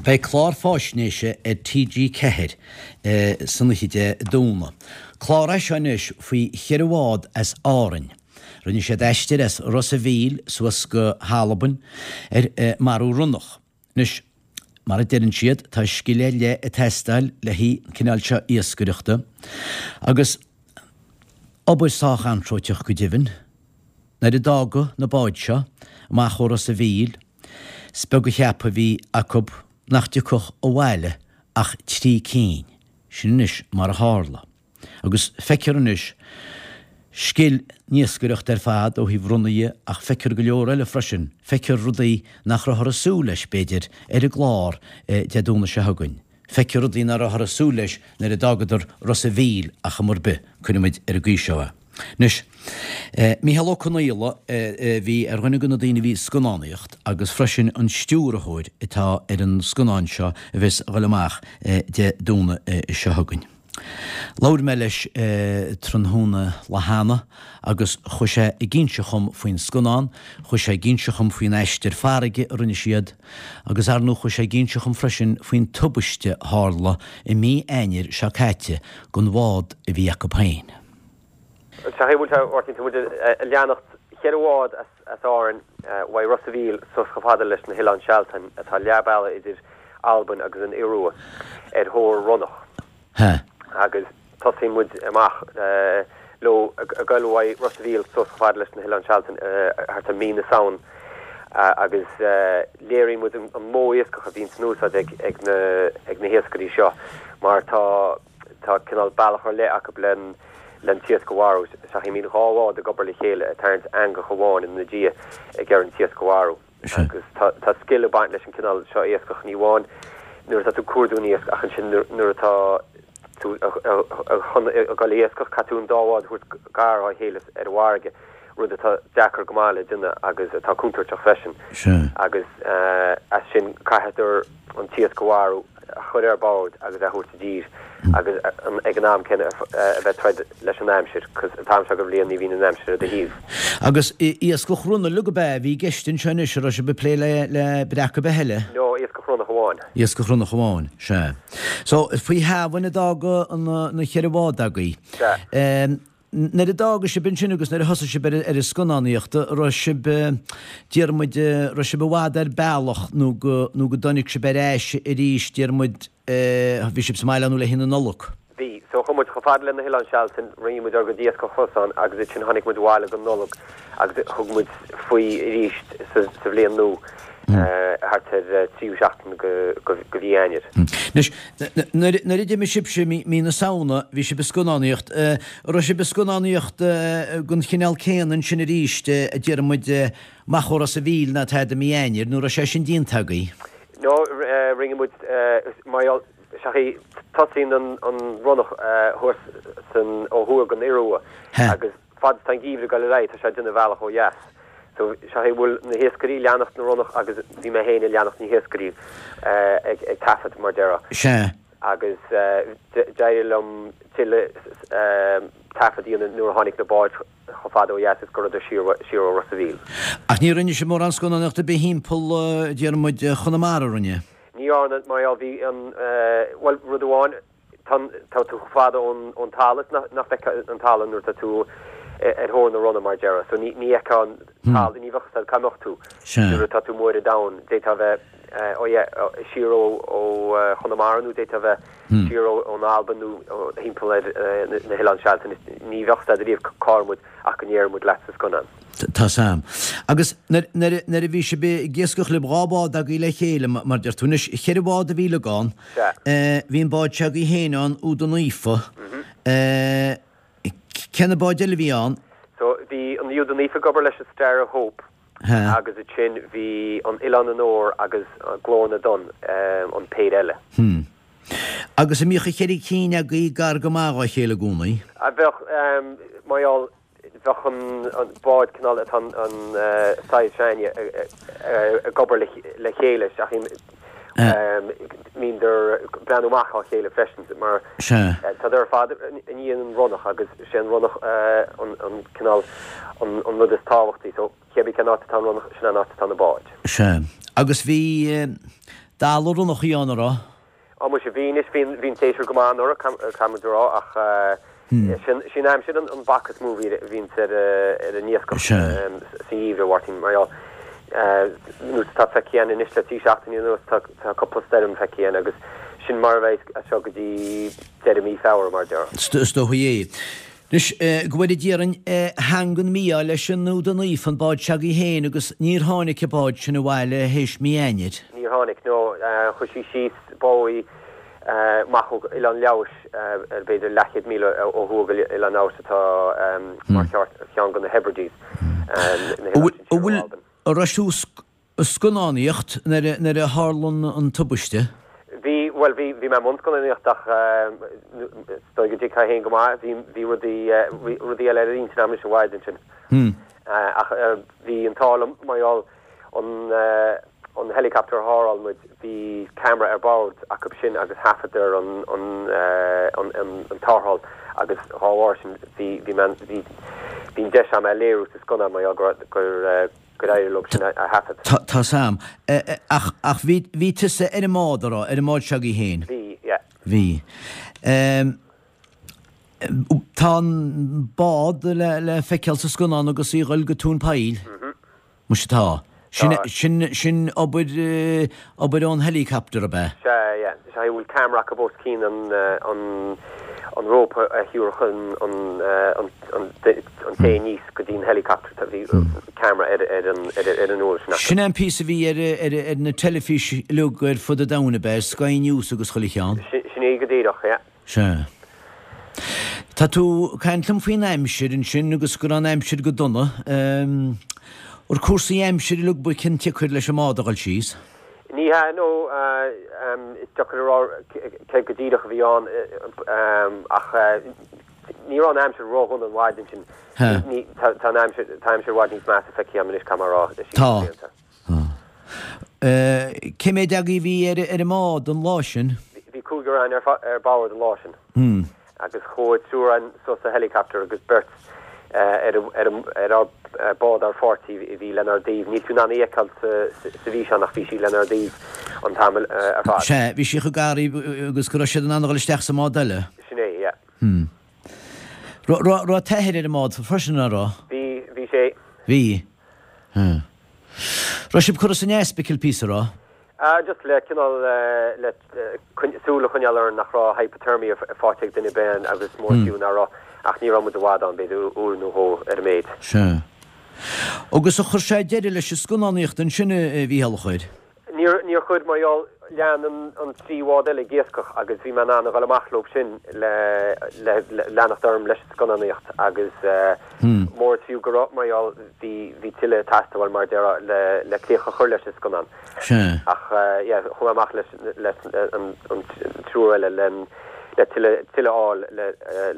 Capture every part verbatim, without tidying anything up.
Beidh clár fáisnéise ar T G ceathair san oíche Dé Domhnaigh. Clár é seo anois faoi cheithre bhád as Árainn. Rinne siad aistear as Ros a' Mhíl suas go hAlbain ar marú ronnach. Anois, mar a deireann siad, tá scil ar leith ag teastáil le haghaidh an cineál seo iascaireachta agus obair sách anróiteach go deimhin. Nuair a d'fhágadh na báid seo amach ó Ros a' Mhíl, is beag a cheap a bhí acu nach dtiocfadh abhaile ach trí cinn. Sin anois mar a tharla. Agus feicfear anois scil na hiascaireachta ar fad ó thaobh ronnaigh ach feicfear go leor eile freisin, feicfear rudaí nach rabhthar ag súil leis, b'fhéidir, ar an gclár Dé Domhnaigh seo chugainn. Feicfear rudaí nach rabhthar ag súil leis nuair a d'fhágadar Ros a' Mhíl ach am ar bith, cuirfimid ar an gcaoi seo é. Anois, Mícheál Ó Conaola a bhí ar dhuine de na daoine a bhí ag scannánaíocht agus freisin an stiúrthóir atá ar an scannán seo a bheas ag dul amach Dé Domhnaigh seo chugainn. Labhair mé leis tráthnóna lá cheana agus chuaigh sé ag inse dhom faoin scannán, chuaigh sé ag inse dhom faoin aistear farraige a rinne siad agus ar ndóigh chuaigh sé ag inse dhom freisin faoin tubaiste a tharla i mí Eanáir seo caite don bhád a bhí acu féin. Sea, bhuel a Mháirtín, tá muid ag leanacht cheithre bhád as Árainn uaidh Ros a' Mhíl suas chomh fada leis na hOileáin Sealtainn atá leath bealaigh idir Albain agus an Iorua ar thóir ronnach. Agus tosaíonn muid amach leo ag goil uaidh Ros a' Mhíl suas chomh fada leis na hOileáin Sealtainn thart ar mí na Samhain agus léiríonn muid an modh iascach a bhíonn in úsáid ag na ag na hiascairí seo mar tá tá cineál bealach ar leith acu len len t-iasc a mharú. Sea, bíonn dhá bhád ag obair le chéile ag tarraingt eangach amháin ina diaidh ag iarraidh an t-iasc a mharú. Agus tá tá scil ag baint leis an cineál seo iascach, ní amháin nuair atá tú ag cuardú an iasc ach ansin nuair atá tú chun a ghoil ag iascach, caithfidh tú an dá bhád a thabhairt gar dá chéile ar an bhfarraige, rud atá deacair go maith le déanamh agus atá contúirteach freisin. Agus as sin caithfear an t-iasc a mharú, a chur ar bord agus a thabhairt i dtír agus ag an am céanna a bheith troid leis an aimsir, cos an t-am seo den bhliain ní bhíonn an aimsir ar do thaobh. Agus iascach ronna uilig ab ea a bhí i gceist anseo anois, an raibh sibh ag plé le le breac ar bith eile? No, iascach ronnach amháin. Iascach ronnach amháin, sea. So, faoi Shamhain a d'fhága na ceithre bhád agaibh. Sea. Nuair a d'fhága sibh ansin agus nuair a thosaigh sibh ar an scannánaíocht, raibh sibh, déarfaidh muid, raibh sibh i bhfad ar bealach nó go, nó go dtáinig sibh ar ais arís, déarfaidh muid, bhí sibh sa mbaile nó le haghaidh na Nollag? Bhí. So chuaigh muid chomh fada le na hOileáin Sealtainn, rinne muid ár gcuid iascach thuas ann agus ansin tháinig muid abhaile don Nollaig agus thug muid faoi arís sa, sa bhliain nua. thart ar tríú seachtain de mhí Eanáir. Anois, nuair a d'imigh sibhse mí na Samhna, bhí sibh ag scannánaíocht. An raibh sibh ag scannánaíocht den chineál céanna ansin arís, a déarfaidh muid, amach ó Ros a' Mhíl ná tada mí Eanáir, nó raibh sé sin déanta agaibh? No, rinne muid, mar gheall, sea, tosaíonn an ronnach thuas san, ó thuaidh den Iorua agus fad is tá an geimhreadh ag dul ar aghaidh, tá sé ag déanamh a bhealach ó dheas. So, sea, bhuel, na hiascairí ag leanacht na ronnach agus bhí mé féin ag leanacht na hiascairí ag ag taifead, mar déarfá. Sea. Agus d'éirigh liom tuilleadh taifead a dhéanamh nuair a tháinig na báid chomh fada ó dheas is go rabhadar siar siar ó Ros a' Mhíl. Ach ní rinne sibh mórán scannánaíochta ar bith thimpeall, déarfaidh muid, Chonamara, rinne? Ní dhearna, mar gheall, bhí an, bhuel, rud amháin, Tá tú chomh fada ón talamh is nach bhfeicfeá an talamh nuair atá tú ar thóir na ronna, mar déarfá. So ní fheicfeá an talamh, ní bheadh a fhios agat cá mbeadh tú nuair atá tú amuigh ar an domhan. D'fhéadfá a bheith ó yeah, siar ó Chonamara nó d'fhéadfá a bheith siar ón Albain nó thimpeall ar na hOileáin Sealtainn. Ní bheadh a fhios agat ariamh cá raibh muid ach go ndéarfaidh muid leat sa scannán. Tá's a'm. Agus nuair a bhí sibh ag iascach libh, dhá bhád agaibh le chéile, mar deir tú anois, cheithre bhád a bhí uilig ann. Bhí an bád seo agaibh féin ann, Iúda Naofa. Cé na báid eile a bhí ann? So bhí an Iúda Naofa ag obair leis an Star of Hope agus ansin bhí an Oileán an Óir agus Glór na dTonn, an péire eile. Agus an mbíodh an cheithre cinn agaibh gar go maith dhá chéile i gcónaí? Bheadh, mar gheall, bheadh an bád cineál atá an saghas s'againne ag obair le chéile ach bhíodar ag breathnú amach dá chéile freisin mar tádar ar fad i ndiaidh an ronnach agus sé an ronnach an cineál an rud is tábhachtaí so cébí cén áit atá an ronnach sin an áit atá na báid. Sea. Agus bhí, Dalladh ronnach a bhí ann, an raibh? Á muise bhí anois, bhí bhí an tséasúr go maith anuraidh, caithfidh muid a rá, ach sin sin an aimsir an bac is mó a bhíonns ar ar an iascach sa gheimhreadh, a Mháirtín, mar gheall nós atá feicthe againn anois le trí seachtaine anuas, tá tá cúpla stoirm feicthe againn agus sin mar a bheidh as seo go dtí deireadh mí Feabhra, mar a déarfá. Is dóigh é. Anois, go bhfóire Dia orainn, theanga an mí-ádh leis an Iúda Naofa, an bád s'agaibh féin, agus níor tháinig an bád sin abhaile théis mí Eanáir. Níor tháinig, no. Chuaigh sí síos báigh amach ó Oileán Leodhais, ar b'fhéidir leathchéad míle ó thuaidh go Oileán Leodhais atá mar cheann de na Hebrides, na hoileáin sin siar ó Albain. An raibh tú ag scannánaíocht nuair a tharla an tubaiste? Bhí, bhuel, bhí, bhí mé i mbun scannánaíocht ach is dóigh go dtuigfeá féin go maith, bhí, bhí rudaí, bhí rudaí eile ar intinn agam leis an mhaidin sin. Ach bhí an t-ádh liom mar gheall an, an helicopter a hire-áil muid, bhí camera ar bord acu sin agus thaifeadadar an, an, an, an, an tarrtháil agus dhá bharr sin bhí, bhí mé, bhí, bhí an deis agam é a léiriú sa scannán mar gheall go raibh, gur, gur éirigh leo sin a thaifead. Tá 's a'm. Ach, ach bhí, bhí tusa ar an mbád, a raibh, ar an mbád s'agaibh féin? Bhí, yeah. Bhí. Tá an bád le, le feiceáil sa scannán agus í ag dul go Tóin Poill. Muise tá. Sin, sin, sin obair, obair ón helicopter, ab ea? Sea, yeah. Sea, bhfuil camera acu os cionn an, an, an rópa a thiúrfadh an, an, an, an, an té aníos go dtí an helicopter, tá, bhí camera ar, ar an, ar, ar an uair sin acu. Sin é an píosa a bhí ar, ar, ar na teilifís uilig ar fud an domhain, ab ea, Sky News agus chuile cheann? Sin, sin é go díreach, yeah. Sea. Tá tú ag caint liom faoin aimsir ansin agus go raibh an aimsir go dona. Ar cúrsaí aimsire uilig ba cionsiocair leis an mbád a dhul síos? Ní hea, no, is deacair a rá cé go díreach a bhí ann ach ní raibh an aimsir ródhona an mhaidin sin. Tá an aimsir, tá aimsir i bhfad níos measa feicthe agam anois, caithfidh mé a rá, le Tá. blianta. Cé mhéad agaibh a bhí ar ar an mbád an lá sin? Bhí cúigear againn ar ar bord an lá sin. Agus chuaigh triúr againn suas sa helicopter agus beirt ar ar ar ár bád ár pháirtí a bhí lenár dtaobh. Níl tú in ann í a fheiceáil sa sa bhfíseán ach bhí sí lenár dtaobh an t-am ar fad. Sea, bhí sí chomh gar agus go raibh siad in ann a dhul isteach sa mbád eile. Sin é, yeah. Hmm. Raibh raibh t'athair ar an mbád freisin, an raibh? Bhí, bhí sé. Bhí. Hmm. Raibh sibh curtha san ospidéal píosa, raibh? Ah, just le cineál le súil a choinneáil orainn nach raibh hypothermia faighte ag duine ar bith agus mór fiú nach raibh, ach ní raibh muid i bhfad ann, b'fhéidir uair nó dhó ar an méid. Sea. Agus ar chuir sé deireadh leis an scannánaíocht ansin, a Mhícheáil, ar chuir? Níor, níor chuir, mar gheall, lean an, an trí bhád eile ag iascach agus bhí mé in ann a dhul amach leo sin le, le, le leanacht orm leis an scannánaíocht agus mór is fiú go raibh, mar gheall, bhí, bhí tuilleadh ag teastáil mar a déarfá le, le críoch a chur leis an scannán. Sea. Ach yeah, chuaigh mé amach leis, leis an, an triúr eile le, le tuilleadh, tuilleadh a fháil le,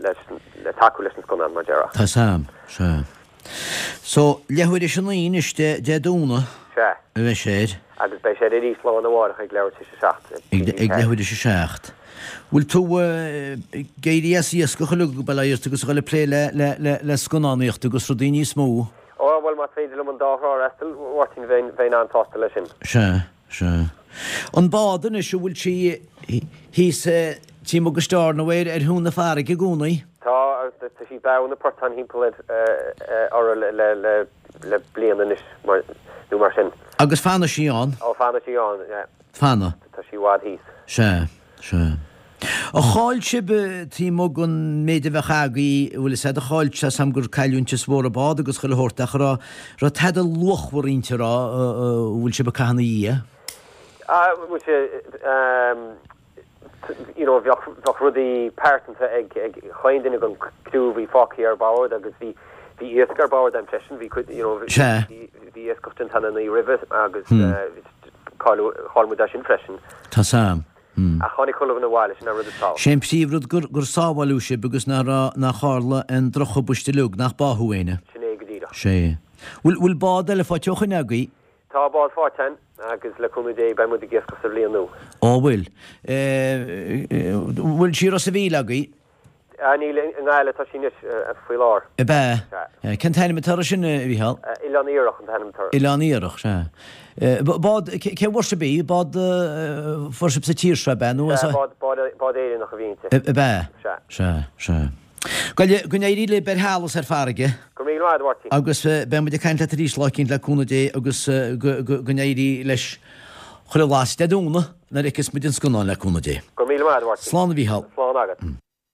leis, le tacú leis an scannán mar a déarfá. Tá 's a'm, sea. So, leathuair théis a naoi anois Dé, Dé Domhnaigh Sea. a bheidh sé air. Agus beidh sé air arís lá arna mhárach ag leathuair tar éis a seacht. Ag, ag leathuair théis a seacht. Bhfuil tú ag éirí as iascach uilig go bail ort agus a dhul ag plé le, le, le, le scannánaíocht agus rudaí níos mó? Ó, bhuel, más féidir liom an dá thrá a fhreastal, a Mháirtín, bheinn, bheinn an-sásta leis sin. Sea, sea. An bád anois, an bhfuil sí thíos taobh amuigh de Stornoway ar thóin na farraige i gcónaí? Tá, tá sí báúil na portáin thimpeall ar, orthu le, le, le, le bliain anois, mar, nó mar sin. Agus fanfaidh sí ann? Ó, fanfaidh sí ann, yeah. Fanfaidh. Tá sí i bhfad thíos. Sea, sea. Ar chaill sibh taobh amuigh den méid a bheadh agaibh, bhfuil fhios a'd, ar chaill, tá 's a'm gur cailliúint is mhór an bád agus chuile shórt ach an raibh, raibh tada luachmhar inti a raibh, a bhfuil sibh ag caitheamh ina dhiaidh? Ah, muise, you know, bheadh, bheadh rudaí pearsanta ag, ag chaon duine den criú a bhí fágtha ar bord agus bhí, bhí iasc ar bord a'm freisin, bhí cuid, you know, Sea. bhí, bhí iascach déanta an oíche roimhe agus cailleadh, chaill muid é sin freisin. Tá 's a'm. Ach tháinig chuile dhuine abhaile, sin an rud is tábhachtaí. Sé an príomhrud gur, gur sábháileadh sibh agus nach raibh, nach tharla aon drochthubaiste uilig, nach báthadh éinne. Sin é go díreach. Sé. Bhfuil, bhfuil bád eile faighte ó shoin agaibh? Tá bád faighte againn agus le cúnamh Dé beidh muid ag iascach sa bhliain nua. Ó bhfuil. Bhfuil sí i Ros a' Mhíl agaibh? Ah, níl, i nGaillimh atá sí anois faoi láthair. Ab ea? Sea. Cén t-ainm atá air sin, a Mhícheál? Oileán Iarthach an t-ainm atá air. Oileán Iarthach, sea. Bád, cé fuair sibh í? Bád a fuair sibh sa tír seo, ab ea? Nó Sea, bád, bád Éireannach a bhí inti. Ab ea? Sea. Sea, sea. Go n-éirí libh ar thall is ar farraige. Go raibh míle maith agat, a Mháirtín. Agus beidh muid ag caint leat arís lá eicínt le cúnamh Dé agus go n-éirí leis chuile lasc Dé Domhnaigh nuair a fheicfeas muid an scannán le cúnamh Dé. Go raibh míle maith agat, a Mháirtín. Slán a Mhícheál. Slán agat.